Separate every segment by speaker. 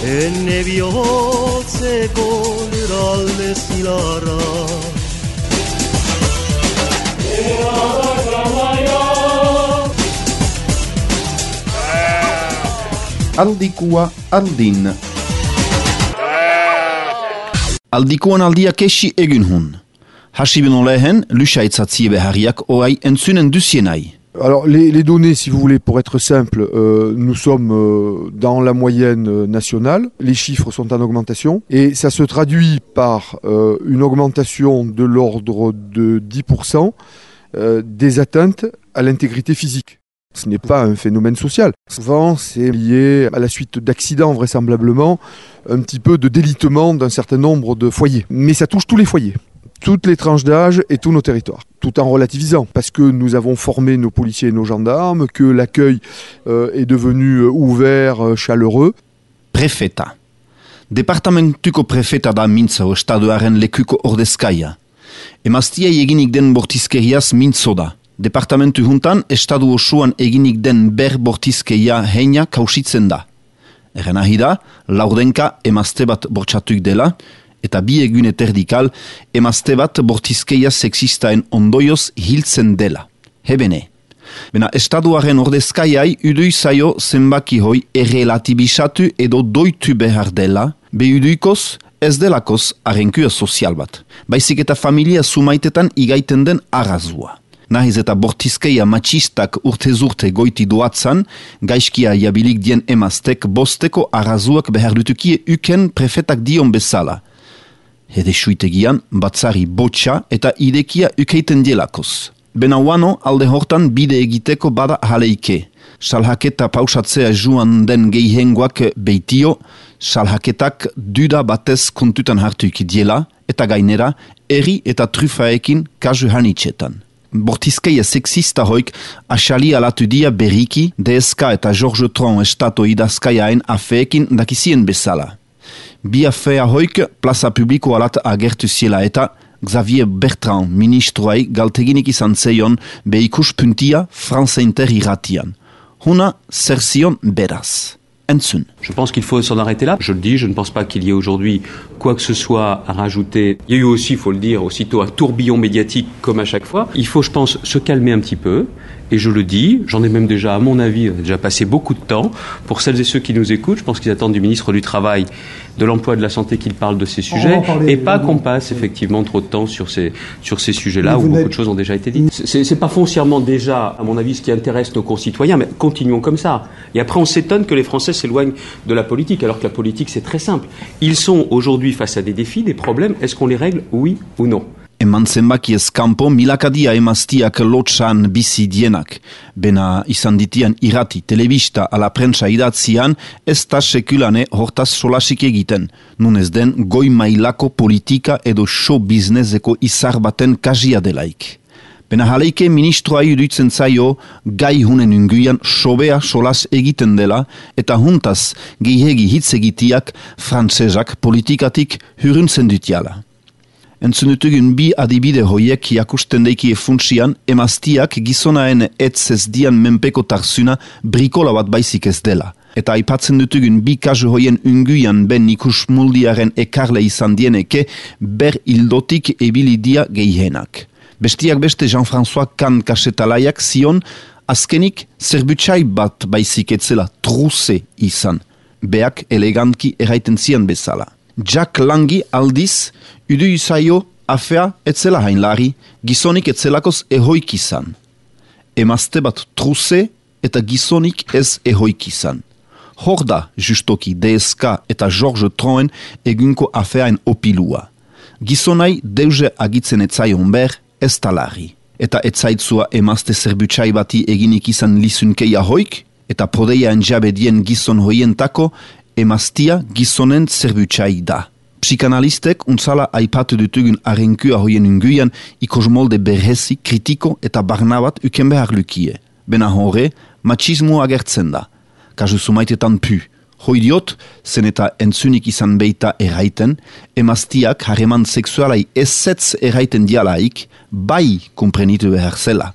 Speaker 1: Enne bihotzeko lurralde zilarra
Speaker 2: Aldikua aldin.
Speaker 3: Aldikuan aldia kesi egin hun. Hasibino lehen, lusaitzazie beharriak oai entzunen dusienai.
Speaker 2: Alors les données, si vous voulez, pour être simple, nous sommes dans la moyenne nationale. Les chiffres sont en augmentation et ça se traduit par une augmentation de l'ordre de 10% des atteintes à l'intégrité physique. Ce n'est pas un phénomène social. Souvent, c'est lié à la suite d'accidents, vraisemblablement, un petit peu de délitement d'un certain nombre de foyers. Mais ça touche tous les foyers, toutes les tranches d'âge et tous nos territoires, tout en relativisant, parce que nous avons formé nos policiers et nos gendarmes, que l'accueil est devenu ouvert, chaleureux.
Speaker 3: Prefeta. Departamentuko prefeta da mintza estaduaren lekuko ordezkaia. Emaztiai eginik den bortizkeriaz mintzo da. Departamentu juntan, estadu osoan eginik den bortizkeria heina kausitzen da. Erren ahida, laurdenka emazte bat bortxatuik dela, eta bi egun eterdikal emazte bat bortizkeia sexistaen ondoioz hiltzen dela. Hebene. Bena estaduaren ordezkaiai udui zaio zenbaki hoi errelatibisatu edo doitu behar dela, behuduikoz ez delakoz arrenkua sozial bat. Baizik eta familia sumaitetan igaiten den arrazua. Nahiz eta bortizkeia matxistak urte goiti doatzan, gaizkia jabilik dien emaztek bosteko arrazuak behar dutukie uken prefetak dion bezala. Hede suitegian, batzari botxa eta idekia ukeiten dielakoz. Benauano alde hortan bide egiteko bada jaleike. Salhaketa pausatzea joan den geihengoak beitio, salhaketak duda batez kontutan hartuik diela, eta gainera, eri eta trufaekin kasu hanitxetan. Bortizkeia sexista hoik asali alatu dia beriki, DSK eta George Tron estato idazkaiaen afeekin dakizien bezala. Bi afea hoik plaza publiko alat agertu ziela eta Xavier Bertrand ministroai galteginik izan zeion behikuspuntia France Inter irratian. Huna zer zion beraz. Entzun.
Speaker 4: Je pense qu'il faut s'en arrêter là. Je le dis, je ne pense pas qu'il y ait aujourd'hui quoi que ce soit à rajouter. Il y a eu aussi, il faut le dire, aussitôt un tourbillon médiatique comme à chaque fois. Il faut, je pense, se calmer un petit peu. Et je le dis, j'en ai même déjà, à mon avis, déjà passé beaucoup de temps. Pour celles et ceux qui nous écoutent, je pense qu'ils attendent du ministre du Travail, de l'Emploi et de la Santé qu'il parle de ces sujets. Et pas qu'on passe effectivement trop de temps sur ces sujets-là où beaucoup de choses ont déjà été dites. C'est pas foncièrement déjà, à mon avis, ce qui intéresse nos concitoyens, mais continuons comme ça. Et après, on s'étonne que les Français s'éloignent de la politique, alors que la politique, c'est très simple. Ils sont aujourd'hui face à des défis, des problèmes. Est-ce qu'on les règle, oui ou non?
Speaker 3: Eman zenbakiez kanpo milakadia emaztiak lotxan bizi dienak. Bena izan ditian irrati, telebista ala prentsa idatzian, ez da sekulane hortaz solasik egiten. Nun ez den goi mailako politika edo show businesseko izar baten kasia delaik. Bena jaleike ministroa iruditzen zaio gai hunen unguian sobea solas egiten dela eta juntaz gehiegi hitz egitiak frantsesak politikatik huruntzen dutiala. Entzunutugun bi adibide hoiek jakusten deikie funtsian emaztiak gizonaen etzez dian menpeko tarzuna brikola bat baizik ez dela. Eta aipatzen dutugun bi kasu hoien unguian ben ikus muldiaren ekarle izan dieneke ber hildotik ebilidia gehienak. Bestiak beste Jean-François Kahn kasetalaiak zion azkenik zerbutxai bat baizik etzela truze izan. Beak elegantki eraiten zian bezala. Jack Langi aldiz, udu izaio afea etzela hainlari, gizonik etzelakoz ehoik izan. Emazte bat truze eta gizonik ez ehoik izan. Hor da justoki DSK eta George Troen egunko afeaen opilua. Gizonai deuze agitzen etzaion ber ez talari. Eta etzaitzua emazte zerbutsai bati eginik izan lizunkeia hoik, eta prodeiaen jabedien gizon hoientako emaztia gizonen zerbutsai da. Psikanalistek untzala aipatu dutugun arrenkua hoien unguian ikosmolde berhezi, kritiko eta barnabat uken behar lukie. Bena horre, machismo agertzen da. Kasu sumaitetan pu. Hoidiot, zen eta entzunik izan beita erraiten, emaztiak harreman sexualai ezetz erraiten dialaik, bai komprenitu behar zela.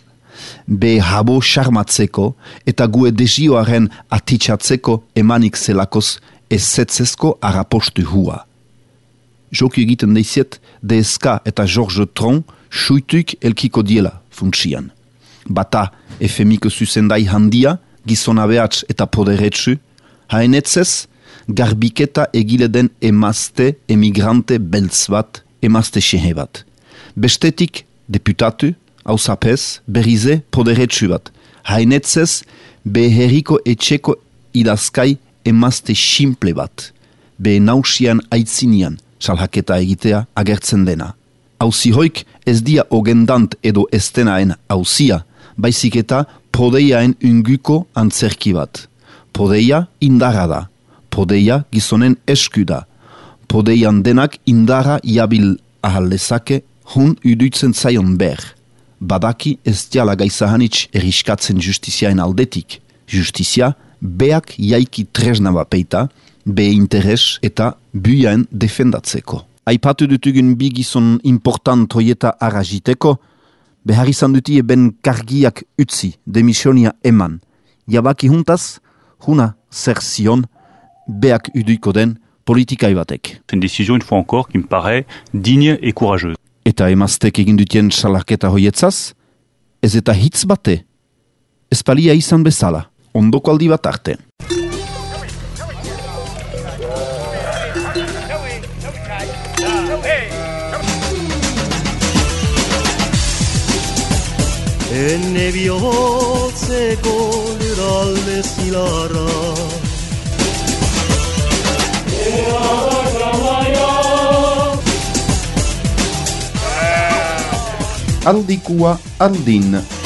Speaker 3: Be habo xarmatzeko eta gue desioaren atitxatzeko emanik zelakoz ezetzezko arapostu hua. Joku egiten deiziet, DSK eta George Tron suituik elkiko diela funtsian. Bata efemiko zuzendai handia, gizona behatz eta poderetsu, haenetzez, garbiketa egile den emazte emigrante beltz bat, emazte xehe bat. Bestetik, deputatu, hausapez, berrize poderetsu bat. Haenetzez, beherriko etxeko idazkai emazte simple bat. Be nausian aitzinian, salhaketa egitea agertzen dena. Hauzihoik ez dia ogendant edo estenaen hauzia, baizik eta podeiaen unguko antzerki bat. Podeia indarra da, podeia gizonen esku da, podeian denak indarra jabil ahal lezake hun uduitzen zaion ber. Badaki ez diala gaizahanitz eriskatzen justiziaen aldetik. Justizia beak jaiki tresna bapeita, be interes eta buiaen defendatzeko. Aipatu dutugun bi gizon important hoieta arraziteko, behar izan duti eben kargiak utzi, demisionia eman. Jabaki juntaz, huna zer zion, beak uduiko den politikai batek.
Speaker 5: C'est une décision, une fois encore, qui me paraît digne et courageuse.
Speaker 3: Eta emaztek egin dutien salarketa hoietzaz, ez eta hitz bate, ez palia izan bezala, ondoko aldi bat arte.
Speaker 1: Enne bihotzeko lurralde zilarra
Speaker 3: Aldikua aldin.